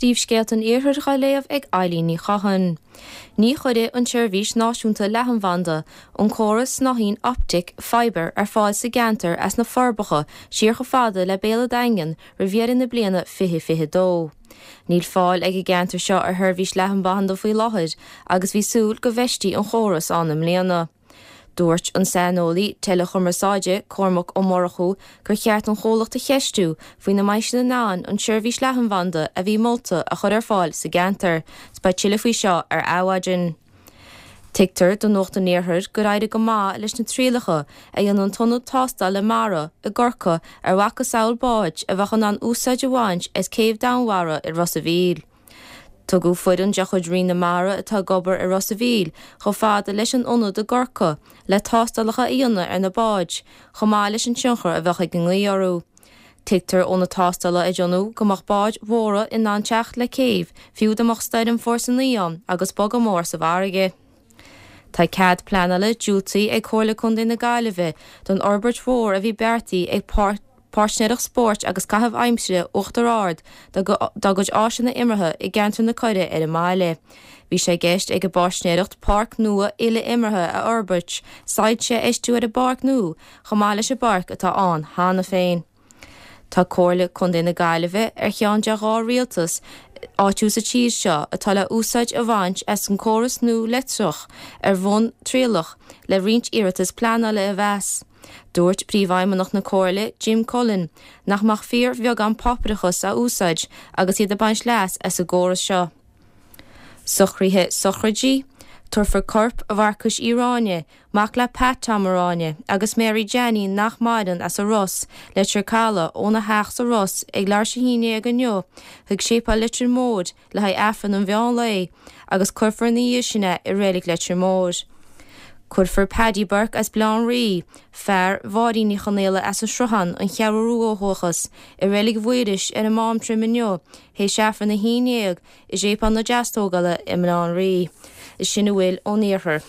Príomhscéalta an Iarthair dhá léamh ag Eilín Ní Chatháin. Ní chuirfidh an tseirbhís náisiúnta leathanbhanda an córas snáithín optic fibre ar fáil sa gceantar as na Forbacha siar chomh fada le Béal an Daingin roimh dheireadh na bliana 2022. Níl fáil ag an gceantar seo ar sheirbhís leathanbhanda faoi láthair agus bhí súil go bhfeistí an chóras ann i mbliana. Dúirt an saineolaí teileachumarsáide Cormac Ó Murchú gur cheart an chomhlacht a cheistiú faoina mbeidh siad in ann an tseirbhís leathanbhanda a bhí molta a chur ar fáil sa gceantar. Beidh tuilleadh faoi seo ar Adhmhaidin. Tuigtear do Nuacht an Iarthair gur éirigh go maith leis na trialacha a dhein an tIonad Tástála Mara i gCorcaigh ar mhacasamhail báid a bheadh in ann úsáid a bhaint as céibh Danmhara i Ros a' Mhíl. Tugadh foireann de chuid Roinn na Mara atá ag obair i Ros a' Mhíl chomh fada leis an ionad i gCorcaigh le tástálacha a dhéanamh ar na báid, chomh maith leis an tionchar a bheadh ag an ngaoth orthu. Tuigtear ó na tástála a déanadh go mbeadh báid mhóra in ann teacht le céibh fiú dá mbeadh stoirm fórsa 9 ann agus bogadh mór sa bhfarraige. Tá cead pleanála diúltaithe ag Comhairle Contae na Gaillimhe don fhorbairt mhór a bhí beartaithe ag Páirtnéireacht Spóirt agus Caitheamh Aimsire Uachtar Ard dá gcuid áiseanna imeartha i gceantar na Coirre ar an mbaile. Bhí sé i gceist ag an bpáirtnéireacht páirc nua uile-imeartha a fhorbairt, soilse a fheistiú ar an bpáirc nua chomh maith leis an bpáirc atá ann cheana féin. Tá Comhairle Contae na Gaillimhe ar cheann de 2 rialtas áitiúil sa tír seo atá le úsáid a bhaint as an córas nua leictreach ar bhonn trialach le roinnt iarratas pleanála a mheas. Dúirt Príomhfheidhmeannach na Comhairle, Jim Cullen, nach mbeadh fíor-bheagán páipéarachas á úsáid agus iad ag baint leas as an gcóras seo. Socruithe sochraide, Tabharfar corp Mharcais Uí Ráinne, mac le Pat Tom Ó Ráinne agus Mary Jeainín nach maireann as an Ros, Leitir Caladh, óna theach sa Ros ag leathuair tar éis 11 inniu chuig Séipéal Leitir Móir le haghaidh Aifreann an mheán lae agus cuirfear ina dhiaidh sin é i Reilig Leitir Móir. Cuirfear Paddy Burke as Baile Átha an Rí, fear Mháirín Ní Chonaola as an Sruthán, An Cheathrú Rua ó dhúchas, i Reilig Mhaorais ar an Mám Troim inniu théis Aifreann 11 i Séipéal na Deastógála i mBaile Átha an Rí. Sin a bhfuil ón Iarthar.